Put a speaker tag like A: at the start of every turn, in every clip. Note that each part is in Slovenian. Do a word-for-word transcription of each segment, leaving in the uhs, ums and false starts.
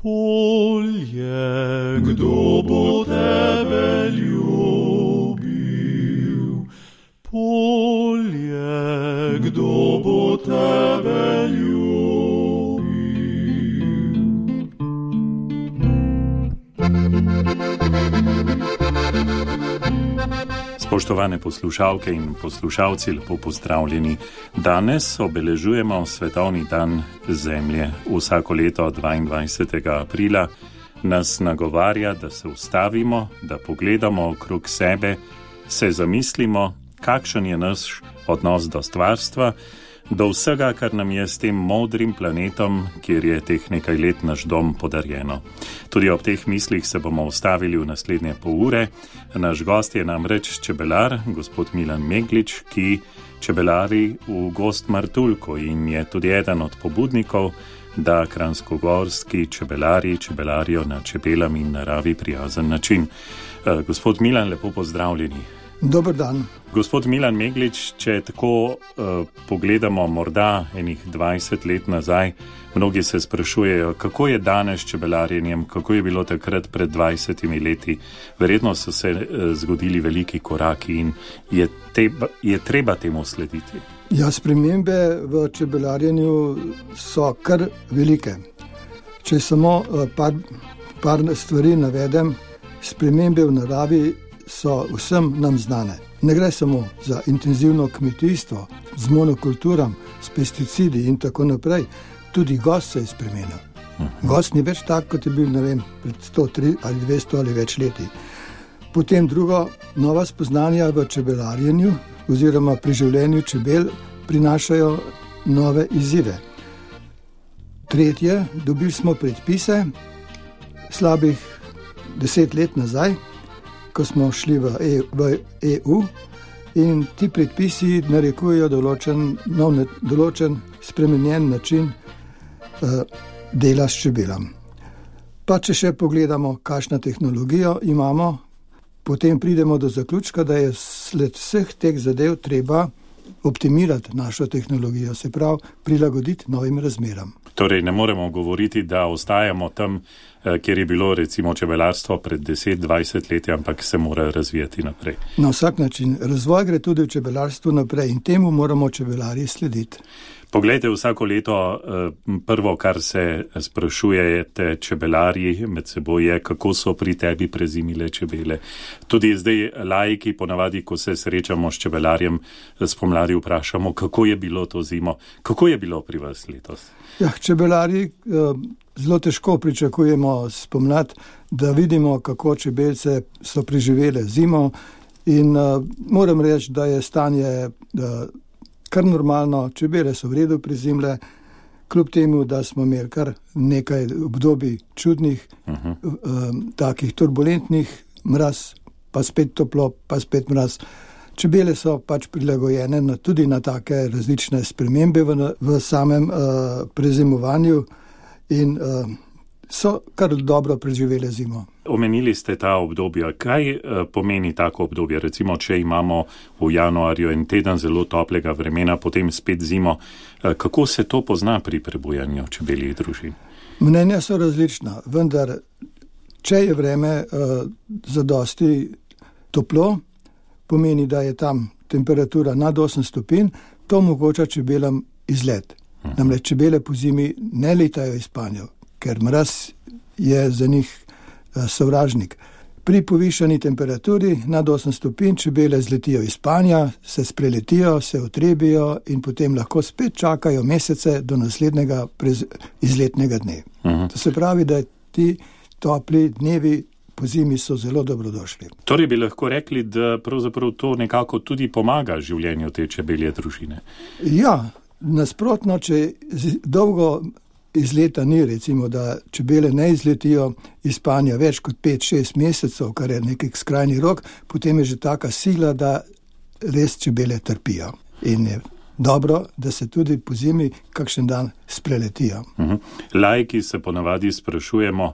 A: Polje, kdo bo tebe ljubil? Polje, kdo bo tebe ljubil? Spoštovane poslušalke in poslušalci, lepo pozdravljeni. Danes obeležujemo Svetovni dan Zemlje. Vsako leto dvaindvajsetega aprila nas nagovarja, da se ustavimo, da pogledamo okrog sebe, se zamislimo, kakšen je naš odnos do stvarstva, do vsega, kar nam je s tem modrim planetom, kjer je teh nekaj let naš dom podarjeno. Tudi ob teh mislih se bomo ustavili v naslednje pol ure. Naš gost je namreč čebelar, gospod Milan Meglič, ki čebelari v Gozd Martuljku in je tudi eden od pobudnikov, da kranjskogorski čebelari čebelarijo na čebelam in naravi prijazen način. Gospod Milan, lepo pozdravljeni.
B: Dober dan.
A: Gospod Milan Meglič, če tako uh, pogledamo morda enih dvajset let nazaj, mnogi se sprašujejo, kako je danes čebelarjenjem, kako je bilo takrat pred dvajsetimi leti. Verjetno so se uh, zgodili veliki koraki in je, te, je treba temu slediti.
B: Ja, spremembe v čebelarjenju so kar velike. Če samo uh, par, par stvari navedem, spremembe v naravi so vsem nam znane. Ne gre samo za intenzivno kmetijstvo z monokulturam, s pesticidi in tako naprej. Tudi gozd se je spremenil. Gozd ni več tak, kot je bil, ne vem, pred sto tri ali dvesto ali več leti. Potem drugo, nova spoznanja v čebelarjenju oziroma pri življenju čebel prinašajo nove izzive. Tretje, dobili smo predpise slabih deset let nazaj, ko smo šli v, e, v E U in ti predpisi narekujejo določen, nov, določen spremenjen način uh, dela s čebelam. Pa če še pogledamo, kakšno tehnologijo imamo, potem pridemo do zaključka, da je sled vseh teh zadev treba optimirati našo tehnologijo, se pravi prilagoditi novim razmeram.
A: Torej ne moremo govoriti, da ostajamo tam, kjer je bilo recimo čebelarstvo pred deset dvajset leti, ampak se mora razvijati naprej.
B: Na vsak način. Razvoj gre tudi v čebelarstvu naprej in temu moramo čebelarji slediti.
A: Poglejte, vsako leto prvo, kar se sprašujete čebelarji med seboj je, kako so pri tebi prezimile čebele. Tudi zdaj laiki ponavadi, ko se srečamo s čebelarjem, spomladi vprašamo, kako je bilo to zimo. Kako je bilo pri vas letos?
B: Ja, čebelarji zelo težko pričakujemo spomlad, da vidimo, kako čebelce so preživele zimo in moram reči, da je stanje kar normalno, čebele so v redu prezimle, kljub temu, da smo imeli kar nekaj obdobij čudnih, uh-huh. um, takih turbulentnih, mraz, pa spet toplo, pa spet mraz. Čebele so pač prilagojene na, tudi na take različne spremembe v, v samem uh, prezimovanju in uh, so kar dobro preživele zimo.
A: Omenili ste ta obdobja. Kaj uh, pomeni tako obdobje? Recimo, če imamo v januarju en teden zelo toplega vremena, potem spet zimo. Uh, kako se to pozna pri prebujanju čebeljih družin?
B: Mnenja so različna, vendar če je vreme uh, zadosti toplo, pomeni, da je tam temperatura nad osem stopinj, to omogoča čebelam izlet. Uh-huh. Namreč čebele po zimi ne letajo iz spanju, ker mraz je za njih sovražnik. Pri povišani temperaturi nad osem stopinj čebele zletijo iz spanja, se spreletijo, se utrebijo in potem lahko spet čakajo mesece do naslednjega prez, izletnega dne. Uh-huh. To se pravi, da ti topli dnevi po zimi so zelo dobrodošli.
A: Torej bi lahko rekli, da pravzaprav to nekako tudi pomaga življenju te čebelje družine.
B: Ja, nasprotno, če dolgo iz leta ni, recimo, da čebele ne izletijo iz spanja več kot pet šest mesecev, kar je nekaj skrajni rok, potem je že taka sila, da res čebele trpijo. In je dobro, da se tudi po zimi kakšen dan spreletijo.
A: Uh-huh. Laiki se ponavadi sprašujemo,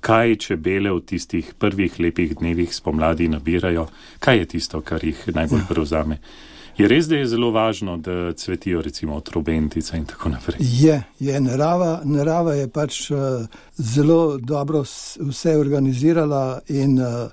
A: kaj čebele v tistih prvih lepih dnevih spomladi nabirajo, kaj je tisto, kar jih najbolj prevzame. Je res, da je zelo važno, da cvetijo recimo trobentice in tako naprej?
B: Je, je narava, narava je pač uh, zelo dobro vse organizirala in uh,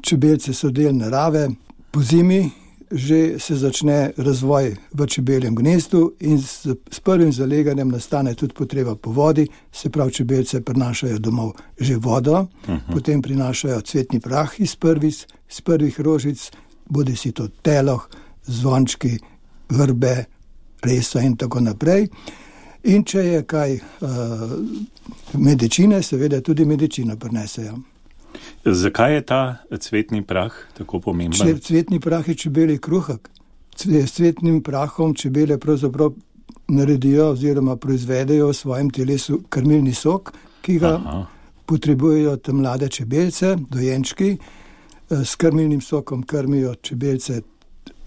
B: čebelce so del narave. Po zimi že se začne razvoj v čebeljem gnezdu in s, s prvim zaleganjem nastane tudi potreba po vodi, se pravi čebelce prinašajo domov že vodo, uh-huh. potem prinašajo cvetni prah iz prvih, iz prvih rožic, bodi si to teloh, zvončki, vrbe, resa in tako naprej. In če je kaj uh, medicine, seveda tudi medicino prinesejo.
A: Zakaj je ta cvetni prah tako pomemben?
B: Če cvetni prah je čebelji kruhek. S cvetnim prahom čebele pravzaprav naredijo oziroma proizvedejo v svojem telesu krmilni sok, ki ga Aha. potrebujejo te mlade čebelce, dojenčki. S krmilnim sokom krmijo čebelce,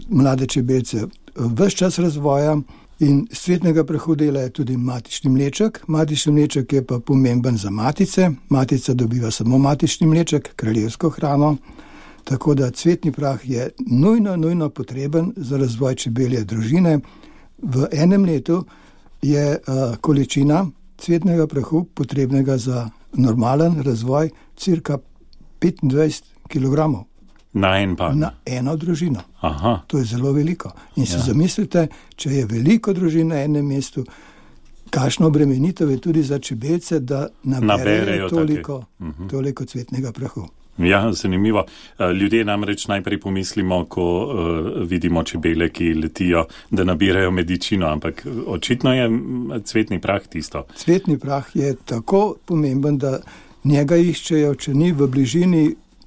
B: mlade čebelce ves čas razvoja. In z cvetnega prahu dela je tudi matični mleček. Matični mleček je pa pomemben za matice. Matica dobiva samo matični mleček, kraljevsko hrano. Tako da cvetni prah je nujno, nujno potreben za razvoj čebelje družine. V enem letu je uh, količina cvetnega prahu potrebnega za normalen razvoj cirka petindvajset kilogramov.
A: Na en pan?
B: Na eno družino.
A: Aha.
B: To je zelo veliko. In si ja. zamislite, če je veliko družin na enem mestu, kakšno obremenitev je tudi za čebelce, da naberejo toliko, uh-huh. toliko cvetnega prahu.
A: Ja, zanimivo. Ljudje namreč najprej pomislimo, ko uh, vidimo čebele, ki letijo, da nabirajo medicino, ampak očitno je cvetni prah tisto.
B: Cvetni prah je tako pomemben, da njega iščejo, če ni v bližini,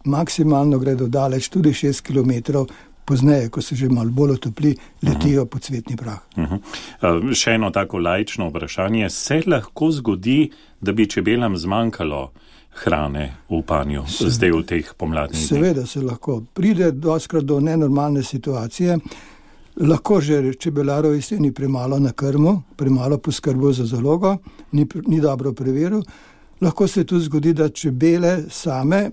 B: maksimalno gredo daleč, tudi šest kilometrov, pozneje, ko se že malo bolj otopli, letijo uh-huh. po cvetni prah.
A: Uh-huh. Uh, še eno tako laično vprašanje. Se lahko zgodi, da bi čebelam zmanjkalo hrane v panju, se, zdaj v teh pomladnih dneh?
B: Seveda se lahko. Pride doskrat do nenormalne situacije. Lahko že čebelarov jeseni premalo na krmu, premalo poskrbo za zalogo, ni, ni dobro preveril. Lahko se tudi zgodi, da čebele same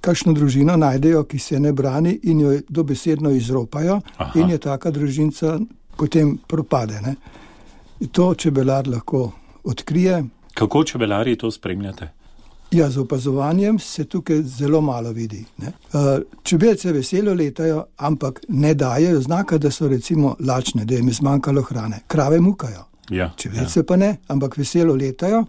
B: kakšno družino najdejo, ki se ne brani in jo dobesedno izropajo. Aha. In je taka družinca potem propade. Ne? To čebelar lahko odkrije.
A: Kako čebelari to spremljate?
B: Ja, z opazovanjem se tukaj zelo malo vidi. Ne? Čebelce veselo letajo, ampak ne dajejo znaka, da so recimo lačne, da jim je zmanjkalo hrane. Krave mukajo.
A: Ja,
B: Čebelce
A: ja.
B: pa ne, ampak veselo letajo,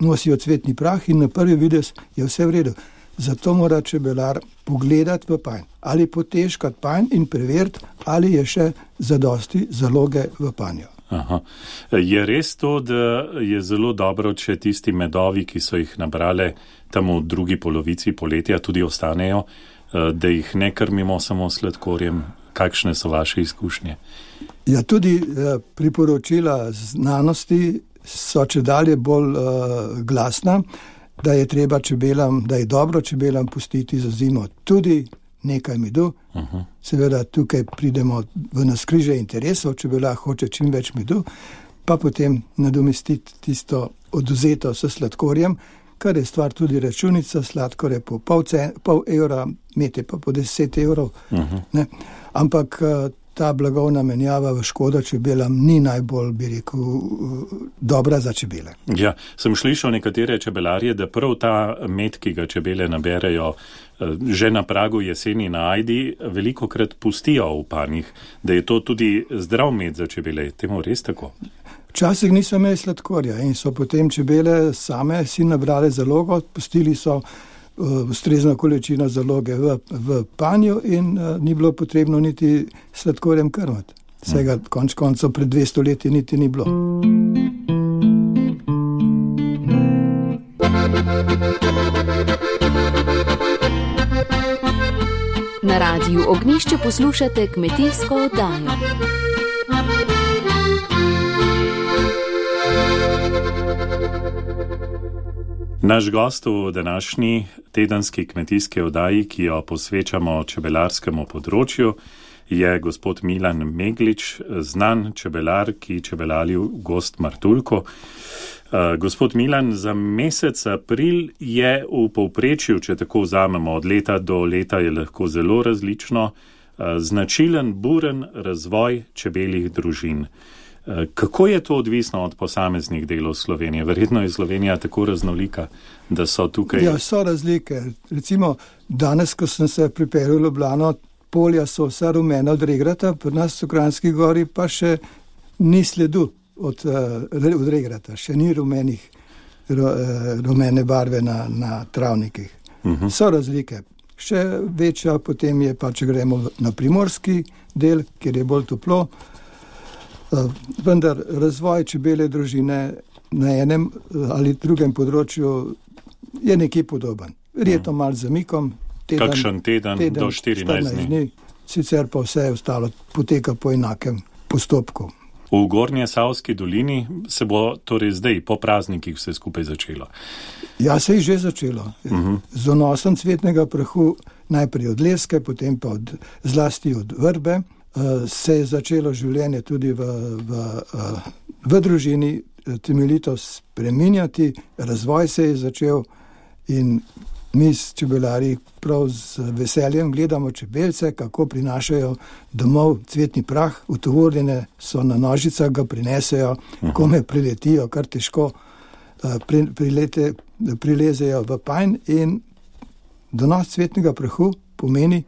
B: nosijo cvetni prah in na prvi videz je vse v redu. Zato mora čebelar pogledati v panj ali potežkati panj in preveriti, ali je še zadosti zaloge v panju.
A: Aha. Je res to, da je zelo dobro, če tisti medovi, ki so jih nabrale tam v drugi polovici poletja, tudi ostanejo, da jih ne krmimo samo sladkorjem? Kakšne so vaše izkušnje?
B: Ja, tudi priporočila znanosti so čedalje bolj uh, glasna, da je treba čebelam, da je dobro čebelam pustiti za zimo tudi nekaj medu. Uh-huh. Seveda tukaj pridemo v navskrižje interesov, čebela hoče čim več medu, pa potem nadomestiti tisto oduzeto s sladkorjem, kar je stvar tudi računica, sladkor je po pol, cen, pol evra, med je pa po deset evrov. Uh-huh. Ne? Ampak ta blagovna menjava v škodo čebelam ni najbolj, bi rekel, dobra za čebele.
A: Ja, sem slišal nekatere čebelarje, da prav ta med, ki ga čebele naberejo že na pragu jeseni na ajdi, velikokrat pustijo v panjih, da je to tudi zdrav med za čebele. Temu res tako?
B: Včasih niso imeli sladkorja in so potem čebele same si nabrale zalogo, pustili so ustrezno količino zaloge v, v panju in uh, ni bilo potrebno niti sladkorjem krmati. Vsega hmm. konč koncev pred dvesto leti niti ni bilo.
C: Na radiju Ognjišče poslušate kmetijsko oddajo.
A: Naš gost v današnji tedenski kmetijski oddaji, ki jo posvečamo čebelarskemu področju, je gospod Milan Meglič, znan čebelar, ki čebelari v Gozd Martuljku. Uh, gospod Milan, za mesec april je v povprečju, če tako vzamemo od leta do leta, je lahko zelo različno, Značilen, buren razvoj čebeljih družin. Kako je to odvisno od posameznih delov Slovenije? Verjetno je Slovenija tako raznolika, da so tukaj...
B: Ja, so razlike. Recimo, danes, ko sem se pripeljal v Ljubljano, polja so vsa rumena od regrata, pri nas v Kranjski gori pa še ni sledu od, od regrata, še ni rumenih, rumene barve na, na travnikih. Uh-huh. So razlike. Še večja potem je pa, če gremo na primorski del, kjer je bolj toplo. Vendar razvoj čebelje družine na enem ali drugem področju je nekje podoben. Verjetno uh-huh. malo zamikom.
A: Teden, Kakšen teden, teden do štirinajst dni.
B: Sicer pa vse ostalo poteka po enakem postopku.
A: V Gornje Savski dolini se bo torej zdaj po praznikih vse skupaj začelo.
B: Ja, se je že začelo. Uh-huh. Z vnosom cvetnega prahu, najprej od leske, potem pa od, zlasti od vrbe, uh, se je začelo življenje tudi v, v, uh, v družini temeljito spreminjati, razvoj se je začel in mi s čebelarji prav z veseljem gledamo čebelce, kako prinašajo domov cvetni prah, utovorjene so na nožicah, ga prinesejo, kome priletijo, kar težko pri, prilete, prilezejo v panj in donos cvetnega prahu pomeni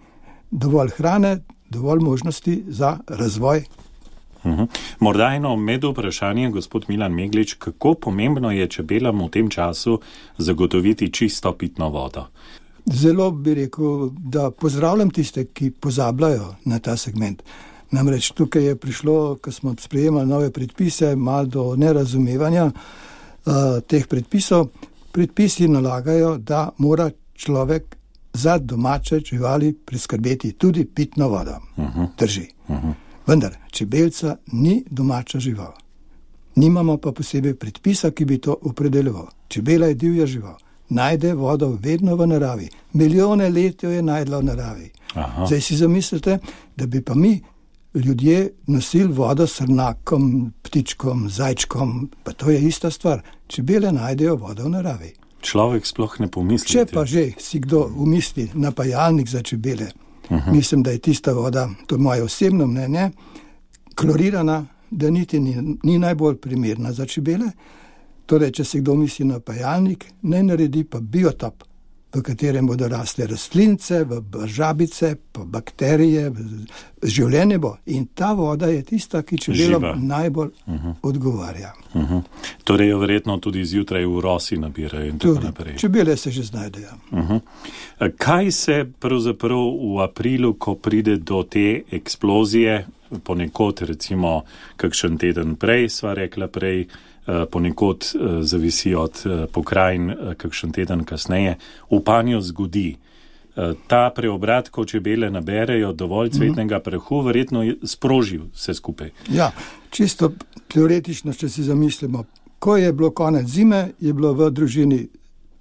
B: dovolj hrane, dovolj možnosti za razvoj.
A: Uhum. Morda eno med vprašanje, gospod Milan Meglič, kako pomembno je čebelam v tem času zagotoviti čisto pitno vodo?
B: Zelo bi rekel, da pozdravljam tiste, ki pozabljajo na ta segment. Namreč tukaj je prišlo, ko smo sprejemali nove predpise, malo do nerazumevanja uh, teh predpisov. Predpisi nalagajo, da mora človek za domače živali priskrbeti tudi pitno vodo. Uhum. Drži. Uhum. Vendar, čebelca ni domača žival. Nimamo pa posebej predpisa, ki bi to opredeljeval. Čebela je divja žival. Najde vodo vedno v naravi. Milijone let jo je najdla v naravi. Aha. Zdaj si zamislite, da bi pa mi ljudje nosili vodo srnakom, ptičkom, zajčkom, pa to je ista stvar. Čebele najdejo vodo v naravi.
A: Človek sploh ne pomisli.
B: Če pa že si kdo umisli napajalnik za čebele, uh-huh. mislim, da je tista voda, to je moje osebno mnenje, klorirana, da niti ni, ni najbolj primerna za čebele. Torej, če se kdo misli na pajalnik, naj naredi pa biotop, v katerem bodo rasle rastlince, v žabice, pa bakterije, življenje bo. In ta voda je tista, ki čebelom najbolj uh-huh. odgovarja.
A: Uh-huh. Torej jo verjetno tudi zjutraj v rosi nabirajo in
B: tudi,
A: tako naprej.
B: Čebele se že znajdejo.
A: Uh-huh. Kaj se pravzaprav v aprilu, ko pride do te eksplozije, ponekod recimo kakšen teden prej, sva rekla prej, ponekod zavisi od pokrajin kakšen teden kasneje, v panju zgodi. Ta preobrat, ko čebele naberejo dovolj cvetnega prahu, verjetno je sprožil vse skupaj.
B: Ja, čisto teoretično, če si zamislimo, ko je bilo konec zime, je bilo v družini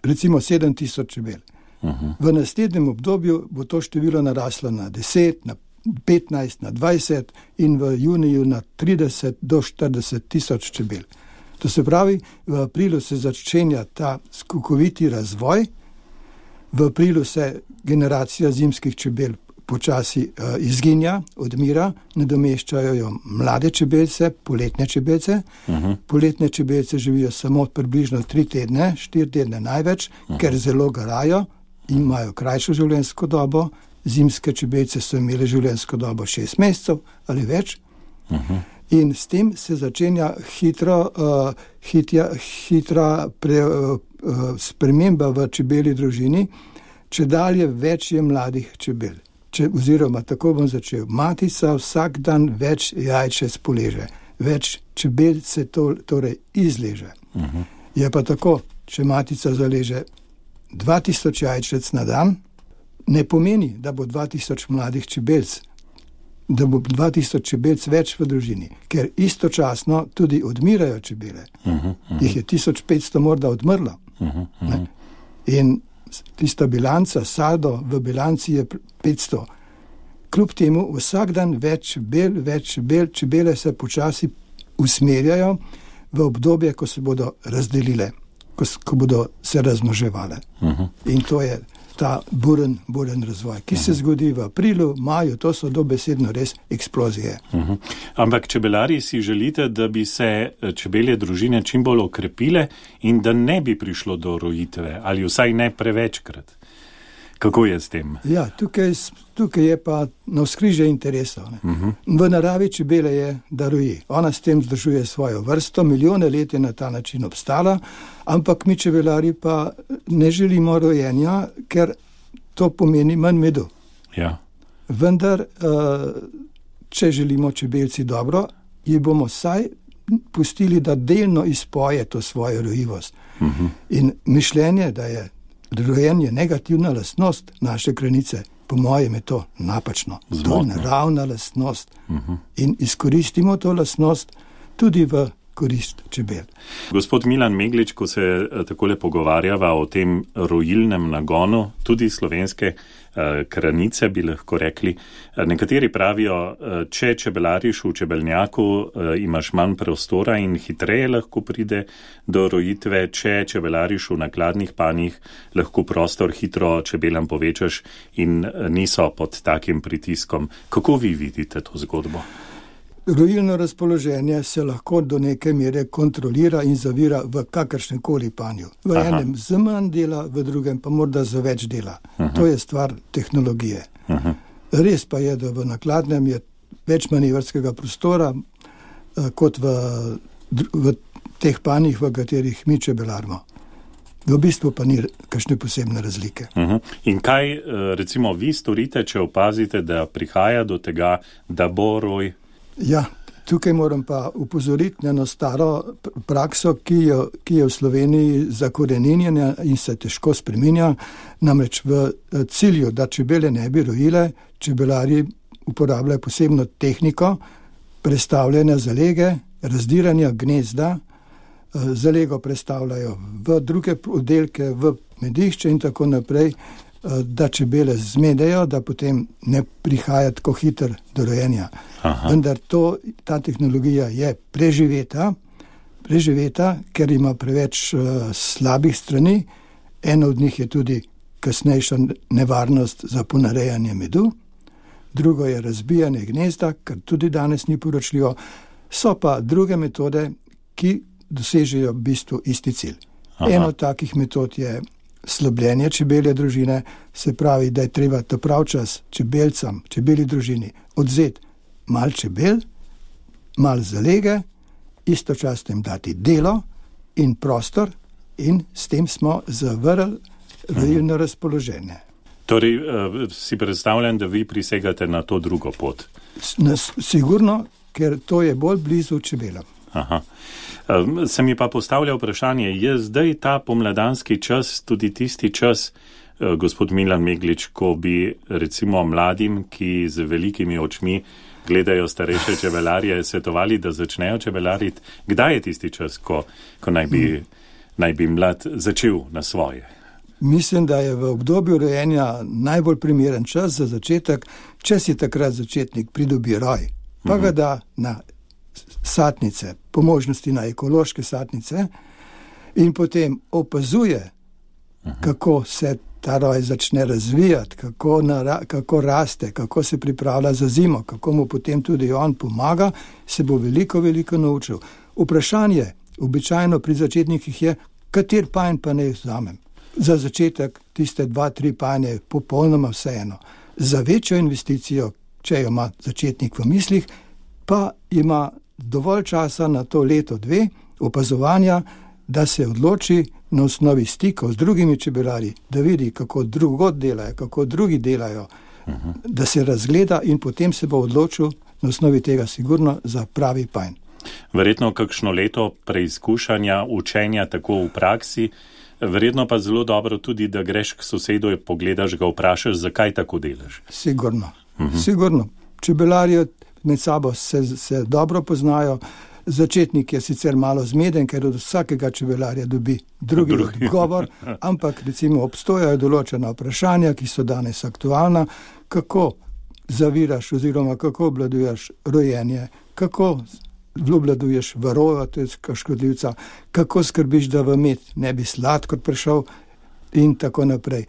B: recimo sedem tisoč čebel. Uh-huh. V naslednjem obdobju bo to število naraslo na deset, na petnajst, na dvajset in v juniju na trideset do štirideset tisoč čebel. To se pravi, v aprilu se začenja ta skokoviti razvoj, v aprilu se generacija zimskih čebel počasi uh, izginja, odmira, nadomeščajo jo mlade čebelce, poletne čebelce. Uh-huh. Poletne čebelce živijo samo približno tri tedne, štiri tedne največ, uh-huh. ker zelo garajo in imajo krajšo življenjsko dobo. Zimske čebelce so imeli življenjsko dobo šest mesecev ali več. Uh-huh. In s tem se začenja hitro, uh, hitja, hitra pre, uh, uh, sprememba v čebeli družini, če dalje več je mladih čebel. Če, oziroma, tako bom začel. Matica vsak dan več jajčec poleže, več čebel se to, torej izleže. Uh-huh. Je pa tako, če matica zaleže dva tisoč jajčec na dan, ne pomeni, da bo dva tisoč mladih čebelc, da bo dva tisoč čebelc več v družini, ker istočasno tudi odmirajo čebele. Uh-huh, uh-huh. Jih je tisoč petsto morda odmrlo. Uh-huh, uh-huh. In tista bilanca, saldo v bilanci je petsto. Kljub temu vsak dan več čebel, več čebel, čebele se počasi usmerjajo v obdobje, ko se bodo razdelile, ko, ko bodo se razmnoževale. Uh-huh. In to je ta buren, buren razvoj, ki se zgodi v aprilu, maju, to so dobesedno res eksplozije.
A: Uh-huh. Ampak čebelari si želite, da bi se čebelje družine čim bolj okrepile in da ne bi prišlo do rojitve, ali vsaj ne prevečkrat. Kako je s tem?
B: Ja, tukaj, tukaj je pa navzkrižje interesov. Uh-huh. V naravi čebele je, da roji. Ona s tem zdržuje svojo vrsto, milijone let je na ta način obstala, ampak mi čebelari pa ne želimo rojenja, ker to pomeni manj medu.
A: Ja.
B: Vendar, če želimo čebelci dobro, ji bomo saj pustili, da delno izpoje to svojo rojivost. Uh-huh. In mišljenje, da je rojenje negativna lastnost naše kranice, po mojem je to napačno.
A: Zmotno.
B: To je naravna lastnost.
A: Uh-huh.
B: In izkoristimo to lastnost tudi v korist čebel.
A: Gospod Milan Meglič, ko se takole pogovarjava o tem rojilnem nagonu, tudi slovenske eh, kranice, bi lahko rekli, nekateri pravijo, če čebelariš v čebelnjaku, eh, imaš manj prostora in hitreje lahko pride do rojitve, če čebelariš v nakladnih panjih, lahko prostor hitro čebelam povečaš in niso pod takim pritiskom. Kako vi vidite to zgodbo?
B: Rojilno razpoloženje se lahko do neke mere kontrolira in zavira v kakršnem koli panju. V Aha. enem z manj dela, v drugem pa morda za več dela. Aha. To je stvar tehnologije. Aha. Res pa je, da v nakladnem je več manevrskega prostora kot v, v teh panjih, v katerih mi čebelarimo. V bistvu pa ni kakšne posebne razlike.
A: Uh-huh. In kaj recimo vi storite, če opazite, da prihaja do tega, da bo roj?
B: Ja, tukaj moram pa upozoriti na eno staro prakso, ki je, ki je v Sloveniji zakoreninjena in se težko spreminja. Namreč v cilju, da čebele ne bi rojile, čebelari uporabljajo posebno tehniko prestavljanja zalege, razdiranja gnezda, zalego prestavljajo v druge oddelke, v medišče in tako naprej, da čebele zmedejo, da potem ne prihaja tako hiter do rojenja. Aha. Vendar to, ta tehnologija je preživeta, preživeta, ker ima preveč uh, slabih strani. Ena od njih je tudi kasnejša nevarnost za ponarejanje medu, drugo je razbijanje gnezda, kar tudi danes ni poročljivo. So pa druge metode, ki dosežejo v bistvu isti cilj. Aha. Eno od takih metod je slabljenje čebelje družine, se pravi, da je treba ta prav čas čebelcam, čebeli družini odzeti mal čebel, mal zalege, istočasno jim dati delo in prostor in s tem smo zavrli rojilno razpoloženje.
A: Torej, uh, si predstavljam, da vi prisegate na to drugo pot?
B: S- sigurno, ker to je bolj blizu čebelam.
A: Aha. Se mi pa postavlja vprašanje, je zdaj ta pomladanski čas tudi tisti čas, gospod Milan Meglič, ko bi recimo mladim, ki z velikimi očmi gledajo starejše čebelarje, svetovali, da začnejo čebelariti? Kdaj je tisti čas, ko, ko naj, bi, hmm. naj bi mlad začel na svoje?
B: Mislim, da je v obdobju rojenja najbolj primeren čas za začetek, če si takrat začetnik pridobi roj, pa ga da na satnice, po možnosti na ekološke satnice in potem opazuje, Aha. kako se ta roj začne razvijati, kako, nara, kako raste, kako se pripravlja za zimo, kako mu potem tudi on pomaga, se bo veliko, veliko naučil. Vprašanje običajno pri začetnikih je, kater panj pa ne vzamem. Za začetek tiste dva, tri panje je popolnoma vseeno. Za večjo investicijo, če jo ima začetnik v mislih, pa ima dovolj časa na to leto, dve opazovanja, da se odloči na osnovi stikov z drugimi čebelari, da vidi, kako drugod delajo, kako drugi delajo, uh-huh. da se razgleda in potem se bo odločil na osnovi tega sigurno za pravi panj.
A: Verjetno kakšno leto preizkušanja, učenja tako v praksi, verjetno pa zelo dobro tudi, da greš k sosedu in pogledaš, ga vprašaš, zakaj tako delaš.
B: Sigurno, uh-huh. sigurno. Čebelarji med sabo se, se dobro poznajo. Začetnik je sicer malo zmeden, ker od vsakega čebelarja dobi drugi, drugi. odgovor, ampak recimo obstojajo določena vprašanja, ki so danes aktualna, kako zaviraš oziroma kako obladuješ rojenje, kako obladuješ varroa, to je škodljivca, kako skrbiš, da v med ne bi sladkor prišel in tako naprej.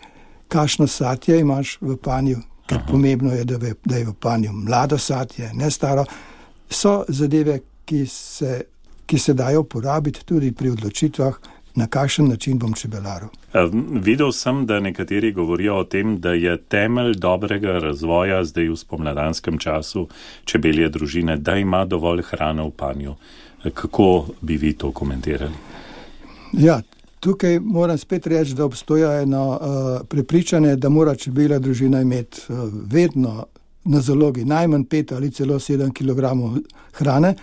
B: kakšno satje imaš v panju, ker Aha. pomembno je, da, ve, da je v panju mlado satje, ne staro. So zadeve, ki se, ki se dajo uporabiti tudi pri odločitvah, na kakšen način bom čebelaril.
A: Videl sem, da nekateri govorijo o tem, da je temelj dobrega razvoja zdaj v spomladanskem času čebelje družine, da ima dovolj hrane v panju. Kako bi vi to komentirali?
B: Ja, tukaj moram spet reči, da obstoja eno uh, prepričanje, da mora čebelja družina imeti uh, vedno na zalogi najmanj pet ali celo sedem kilogramov hrane,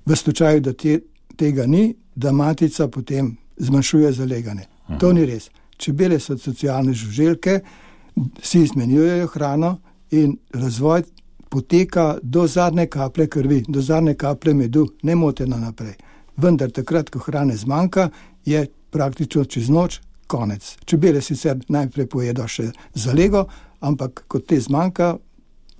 B: v slučaju, da te, tega ni, da matica potem zmanjšuje zaleganje. Aha. To ni res. Čebele so socialne žuželke, si izmenjujejo hrano in razvoj poteka do zadnje kaplje krvi, do zadnje kaplje medu, nemoteno naprej. Vendar takrat, ko hrane zmanjka, je praktično čez noč konec. Čebele sicer najprej pojedo še zalego, ampak ko te zmanjka,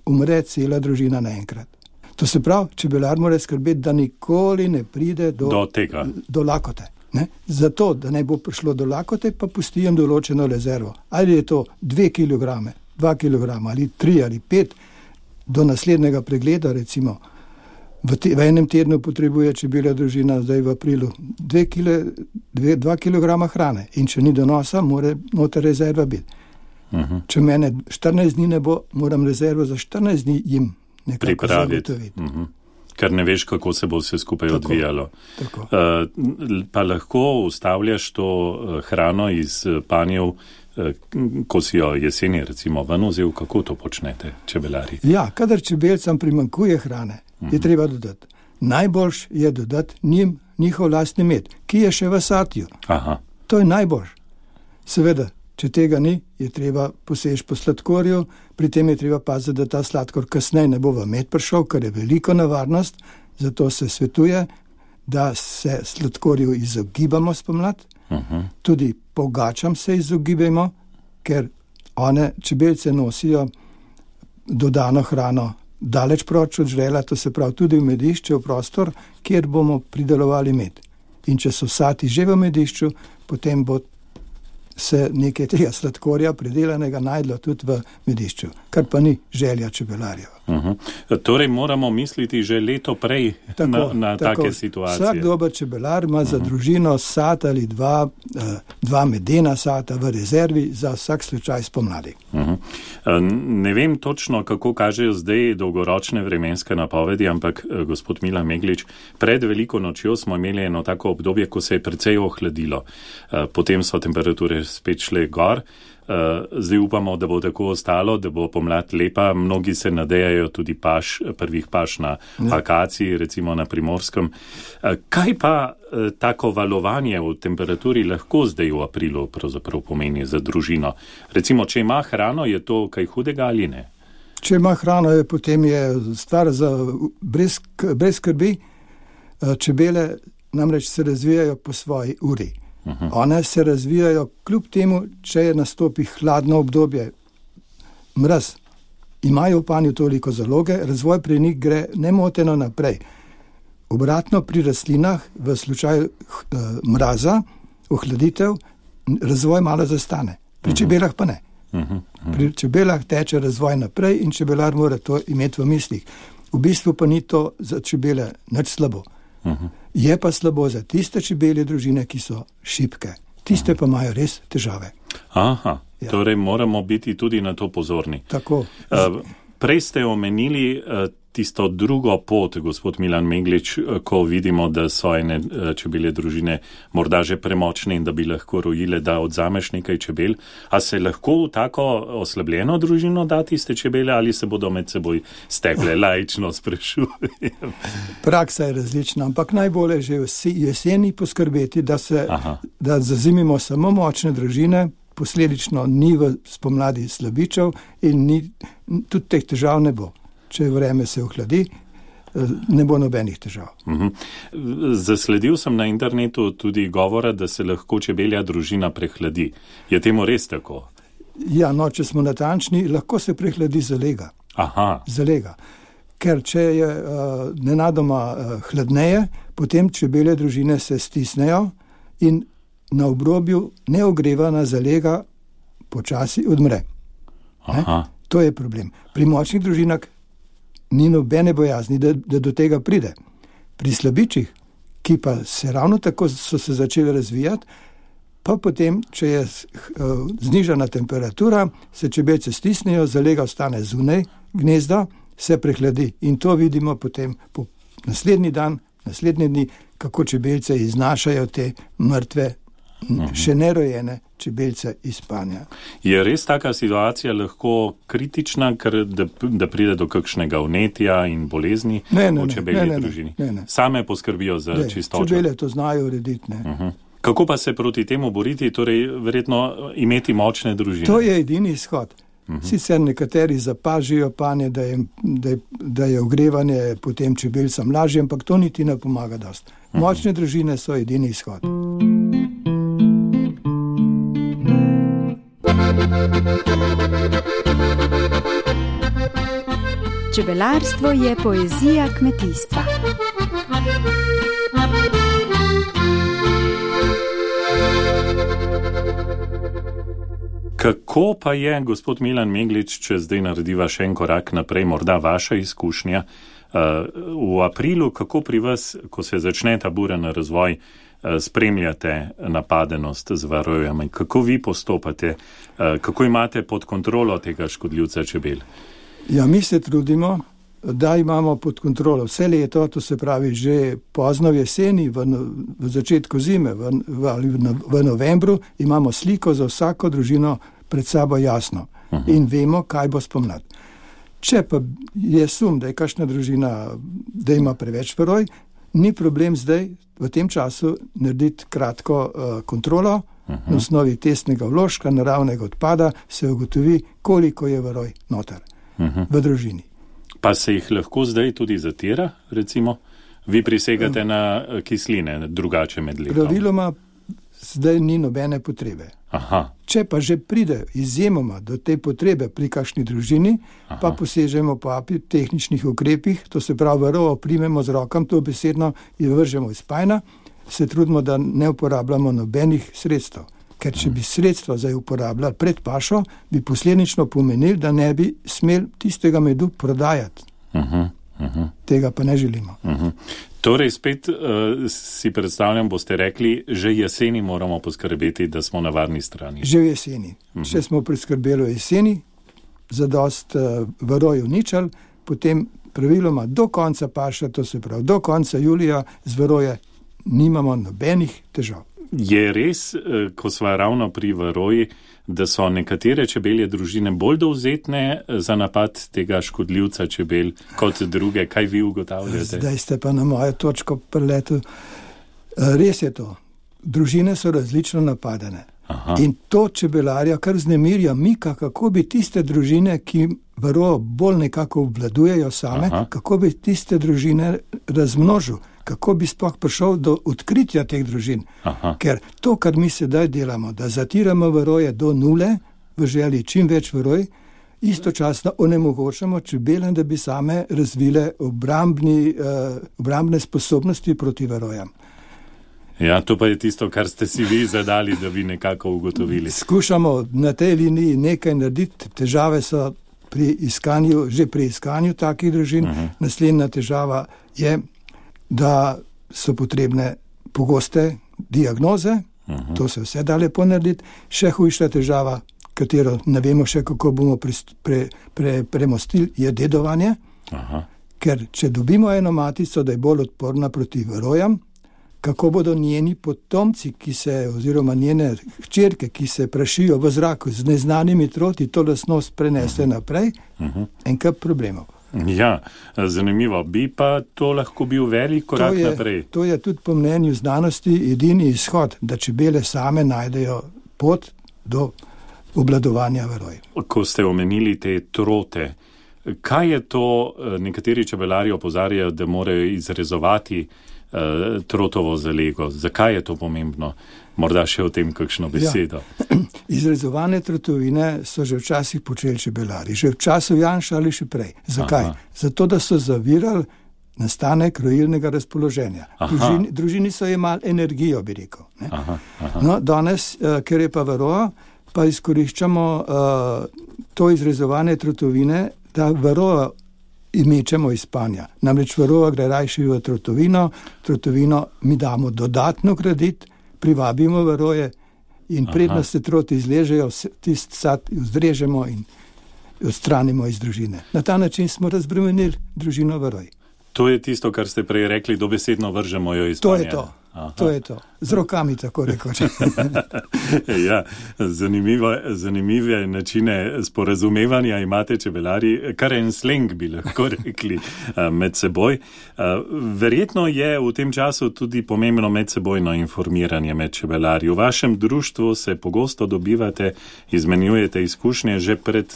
B: umre cela družina naenkrat. To se pravi, čebelar mora skrbeti, da nikoli ne pride do,
A: do tega.
B: Do lakote. Ne? Zato, da ne bo prišlo do lakote, pa pustijem določeno rezervo. Ali je to dve kilograme, dva kilograma ali tri ali pet, do naslednjega pregleda, recimo, v, te, v enem tednu potrebuje čebelja družina, zdaj v aprilu, dve kile, dve, dva kilograma hrane. In če ni donosa, mora noter rezerva biti. Uh-huh. Če mene štirinajst dni ne bo, moram rezervo za štirinajst dni jim nekako zagotoviti.
A: Uh-huh. Ker ne veš, kako se bo vse skupaj tako, odvijalo.
B: Tako.
A: Uh, pa lahko ustavljaš to uh, hrano iz uh, panjev, uh, ko si jo jeseni recimo ven vzel, kako to počnete, čebelari?
B: Ja, kadar čebelcam primanjkuje hrane, uh-huh. je treba dodati. Najboljš je dodati njim njihov lastni med, ki je še v satju.
A: Aha.
B: To je najboljš. Seveda, če tega ni, je treba poseči po sladkorju, pri tem je treba paziti, da ta sladkor kasneje ne bo v med prišel, kar je veliko nevarnost, zato se svetuje, da se sladkorju izogibamo spomlad, uh-huh. tudi pogačam se izogibamo, ker one čebelce nosijo dodano hrano daleč proč od žrela, to se pravi tudi v medišče, v prostor, kjer bomo pridelovali med. In če so sati že v medišču, potem bo se nekaj tega sladkorja pridelanega najdlo tudi v medišču, kar pa ni želja čebelarjev.
A: Uh-huh. Torej moramo misliti že leto prej tako, na, na tako. Take situacije.
B: Vsak dober čebelar ima uh-huh. za družino sat ali dva, dva medena sata v rezervi za vsak slučaj spomladi.
A: Uh-huh. Ne vem točno, kako kažejo zdaj dolgoročne vremenske napovedi, ampak gospod Milan Meglič, pred veliko nočjo smo imeli eno tako obdobje, ko se je precej ohladilo. Potem so temperature spet šle gor. Zdaj upamo, da bo tako ostalo, da bo pomlad lepa. Mnogi se nadejajo tudi paš, prvih paš na akaciji, recimo na Primorskem. Kaj pa tako valovanje v temperaturi lahko zdaj v aprilu pravzaprav pomeni za družino? Recimo, če ima hrano, je to kaj hudega ali ne?
B: Če ima hrano, je, potem je stvar za brez, brez skrbi. Čebele namreč se razvijajo po svoji uri. Uhum. One se razvijajo kljub temu, če je nastopi hladno obdobje, mraz. Imajo v panju toliko zaloge, razvoj pri njih gre nemoteno naprej. Obratno pri rastlinah, v slučaju uh, mraza, ohladitev, razvoj malo zastane. Pri uhum. čebelah pa ne. Uhum. Uhum. Pri čebelah teče razvoj naprej in čebelar mora to imeti v mislih. V bistvu pa ni to za čebele nič slabo. Uhum. Je pa slabo za tiste čebelje družine, ki so šibke. Tiste pa imajo res težave.
A: Aha, ja. Torej moramo biti tudi na to pozorni.
B: Tako.
A: Uh, prej ste omenili uh, tisto drugo pot, gospod Milan Meglič, uh, ko vidimo, da so ene uh, čebelje družine morda že premočne in da bi lahko rojile, da odzameš nekaj čebel. A se lahko v tako oslabljeno družino da tiste čebele ali se bodo med seboj stegle? Laično sprašujem.
B: Praksa je različna, ampak najbolje že v jeseni poskrbeti, da, se, da zazimimo samo močne družine, posledično ni v spomladi slabičev in ni, tudi teh težav ne bo. Če vreme se ohladi, ne bo nobenih težav.
A: Uh-huh. Zasledil sem na internetu tudi govora, da se lahko čebelja družina prehladi. Je temu res tako?
B: Ja, no, če smo natančni, lahko se prehladi zalega.
A: Aha.
B: Zalega. Ker če je uh, nenadoma uh, hladneje, potem čebelje družine se stisnejo in na obrobju neogrevana zalega počasi odmre. To je problem. Pri močnih družinah ni nobene bojazni, da, da do tega pride. Pri slabičih, ki pa se ravno tako so se začeli razvijati, pa potem, če je uh, znižana temperatura, se čebelce stisnejo, zalega ostane zunaj gnezda, se prehladi in to vidimo potem po naslednji dan, naslednji dni, kako čebelce iznašajo te mrtve, uh-huh. še nerojene čebelce iz spanja.
A: Je res taka situacija lahko kritična, ker da, da pride do kakšnega vnetja in bolezni
B: ne, ne,
A: v čebelji
B: ne, ne,
A: družini?
B: Ne, ne.
A: Same poskrbijo za
B: ne,
A: čistočo?
B: Čebele to znajo urediti, ne.
A: Uh-huh. Kako pa se proti temu boriti, torej verjetno imeti močne družine?
B: To je edini izhod. Uh-huh. Sicer nekateri zapažijo panje, da je, da, je, da je ogrevanje potem čebelcem lažje, ampak to niti ne pomaga dost. Uh-huh. Močne družine so edini izhod.
D: Čebelarstvo je poezija kmetijstva.
A: Kako pa je, gospod Milan Meglič, če zdaj narediva še en korak naprej, morda vaša izkušnja, v aprilu, kako pri vas, ko se začne ta buren razvoj, spremljate napadenost z varojami, kako vi postopate, kako imate pod kontrolo tega škodljivca čebel?
B: Ja, mi se trudimo, da imamo pod kontrolo vse leto, to se pravi že pozno v jeseni, v, v začetku zime, v, v, v novembru, imamo sliko za vsako družino pred sabo jasno uh-huh. in vemo, kaj bo spomlad. Če pa je sum, da je kakšna družina, da ima preveč varoj, ni problem zdaj v tem času narediti kratko uh, kontrolo, uh-huh. na osnovi testnega vložka, naravnega odpada, se ugotovi, koliko je varoj noter uh-huh. v družini.
A: Pa se jih lahko zdaj tudi zatira, recimo? Vi prisegate na kisline, drugače med letom?
B: Praviloma zdaj ni nobene potrebe.
A: Aha.
B: Če pa že pride izjemoma do te potrebe pri kakšni družini, Aha. pa posežemo po tehničnih ukrepih, to se pravi varovo primemo z rokam, to besedno in vržemo iz pajna, se trudimo, da ne uporabljamo nobenih sredstev. Ker če bi sredstva zdaj uporabljali pred pašo, bi posledično pomenili, da ne bi smeli tistega medu prodajati. Uh-huh, uh-huh. Tega pa ne želimo.
A: Uh-huh. Torej, spet uh, si predstavljam, boste rekli, že jeseni moramo poskrbeti, da smo na varni strani.
B: Že v jeseni. Uh-huh. Če smo priskrbeli v jeseni, zadost uh, varoj uničali, potem praviloma do konca paša, to se pravi do konca julija, z varoje nimamo nobenih težav.
A: Je res, ko sva ravno pri varoji, da so nekatere čebelje družine bolj dovzetne za napad tega škodljivca čebel kot druge? Kaj vi ugotavljate?
B: Zdaj ste pa na mojo točko preletu. Res je to. Družine so različno napadene. Aha. In to čebelarja kar znemirja mika, kako bi tiste družine, ki varojo bolj nekako obvladujejo same, Aha. kako bi tiste družine razmnožil. Kako bi sploh prišel do odkritja teh družin. Aha. Ker to, kar mi sedaj delamo, da zatiramo varoje do nule, v želji čim več varoj, istočasno onemogočamo čebelem, da bi same razvile obrambni, uh, obrambne sposobnosti proti varojam.
A: Ja, to pa je tisto, kar ste si vi zadali, da bi nekako ugotovili.
B: Skušamo na tej liniji nekaj narediti. Težave so pri iskanju, že pri iskanju takih družin. Uh-huh. Naslednja težava je, da so potrebne pogoste diagnoze, uh-huh. to se vse da lepo narediti. Še hujša težava, katero ne vemo še, kako bomo pre, pre, pre, premostili, je dedovanje. Aha. Ker če dobimo eno matico, da je bolj odporna proti varojam, kako bodo njeni potomci, ki se, oziroma njene hčerke, ki se prašijo v zraku z neznanimi troti, to lastnost prenese uh-huh. naprej, uh-huh. en kup problemov.
A: Ja, zanimivo. Bi pa to lahko bil velik korak
B: to je,
A: naprej.
B: To je tudi po mnenju znanosti edini izhod, da čebele same najdejo pot do obvladovanja varoj.
A: Ko ste omenili te trote, kaj je to, nekateri čebelari opozarjajo, da morajo izrezovati uh, trotovo zalego. Zakaj je to pomembno? Morda še o tem kakšno besedo.
B: Ja. Izrezovane trotovine so že včasih počeli čebelari, že v času Janša ali še prej. Zakaj? Aha. Zato, da so zavirali nastanek rojilnega razpoloženja. Družini, družini so imeli energijo, bi rekel. Ne? Aha, aha. No, danes, ker je pa varoja, pa izkoriščamo uh, to izrezovane trotovine, da varojo imečemo iz spanja. Namreč varoja gre rajši v trotovino, trotovino mi damo dodatno graditi, privabimo varoje in predno se troti izležejo, tist sad vzdrežemo in odstranimo iz družine. Na ta način smo razbremenili družino varoj.
A: To je tisto, kar ste prej rekli, dobesedno vržemo jo iz spanja.
B: To je to. Aha. To je to. Z rokami, tako rekoč.
A: Ja, zanimivo, zanimive načine sporazumevanja imate čebelari, kar en sleng bi lahko rekli med seboj. Verjetno je v tem času tudi pomembno medsebojno informiranje med čebelarji. V vašem društvu se pogosto dobivate, izmenjujete izkušnje. Že pred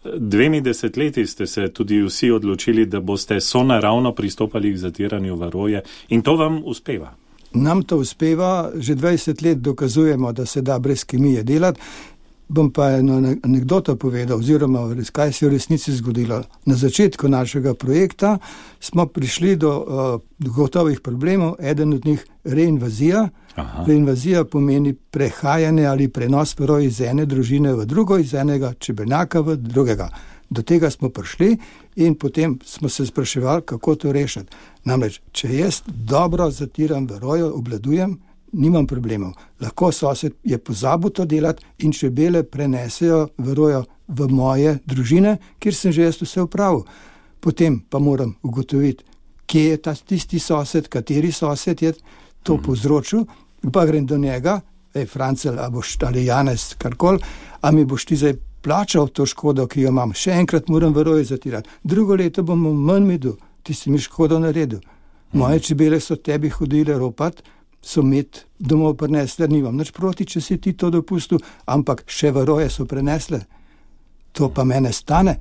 A: dvemi desetletji ste se tudi vsi odločili, da boste sonaravno pristopali k zatiranju varoje in to vam uspeva.
B: Nam to uspeva, že dvajset let dokazujemo, da se da brez kemije delati. Bom pa eno anekdoto povedal, oziroma kaj se je v resnici zgodilo. Na začetku našega projekta smo prišli do uh, gotovih problemov, eden od njih reinvazija. Aha. Reinvazija pomeni prehajanje ali prenos varoj iz ene družine v drugo, iz enega čebelnjaka v drugega. Do tega smo prišli in potem smo se spraševali, kako to rešiti. Namreč, če jaz dobro zatiram varojo, obladujem, nimam problemov. Lahko sosed je pozabil to delati in čebele prenesejo varojo v moje družine, kjer sem že jaz vse upravil. Potem pa moram ugotoviti, kje je ta tisti sosed, kateri sosed je to mm. povzročil, pa grem do njega, ej, Francel, a boš, ali Janez, karkoli, a mi boš ti zdaj plačal to škodo, ki jo imam. Še enkrat moram varoje zatirati. Drugo leto bom manj medu, ti si mi škodo naredil. Moje čebele so tebi hodile ropat, so med domov prenesle, nimam nič proti, če si ti to dopustil, ampak še varoje so prenesle. To pa mene stane.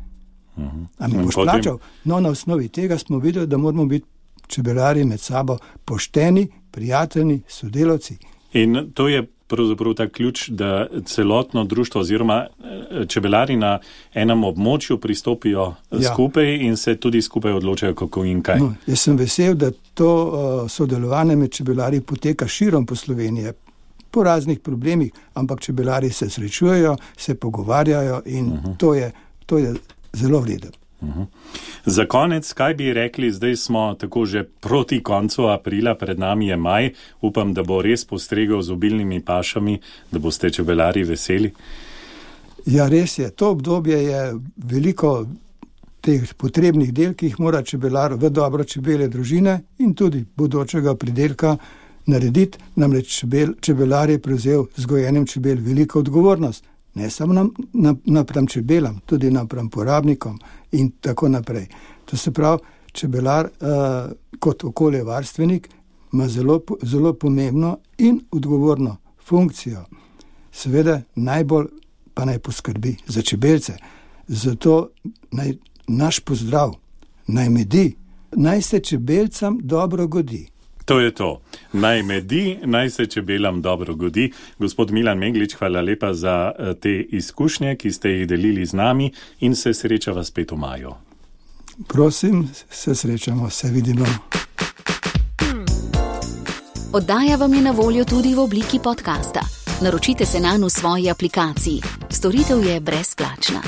B: A mi boš plačal? No, na osnovi tega smo videli, da moramo biti čebelari med sabo pošteni, prijateljni, sodelavci.
A: In to je pravzaprav ta ključ, da celotno društvo oziroma čebelari na enem območju pristopijo ja. skupaj in se tudi skupaj odločajo, kako in kaj.
B: No, jaz sem vesel, da to uh, sodelovanje med čebelari poteka širom po Sloveniji, po raznih problemih, ampak čebelari se srečujejo, se pogovarjajo in uh-huh. to je, to je zelo vredno.
A: Uhum. Za konec, kaj bi rekli, zdaj smo tako že proti koncu aprila, pred nami je maj, upam, da bo res postregel z obilnimi pašami, da boste čebelari veseli?
B: Ja, res je. To obdobje je veliko teh potrebnih del, ki jih mora čebelar v dobro čebele družine in tudi bodočega pridelka narediti. Namreč čebel, čebelar je prevzel z gojenjem čebel veliko odgovornost. Ne samo napram na, na čebelam, tudi napram porabnikom in tako naprej. To se pravi, čebelar uh, kot okoljevarstvenik ima zelo, zelo pomembno in odgovorno funkcijo. Seveda najbolj pa naj poskrbi za čebelce. Zato naj, naš pozdrav naj medi, naj se čebelcam dobro godi.
A: To je to. Naj medi, naj se čebelam dobro godi. Gospod Milan Meglič, hvala lepa za te izkušnje, ki ste jih delili z nami in se srečava spet v maju.
B: Prosim, se srečamo, se vidimo.
C: Oddaja vam je na voljo tudi v obliki podcasta. Naročite se nanj v svoji aplikaciji. Storitev je brezplačna.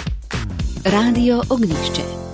C: Radio Ognjišče.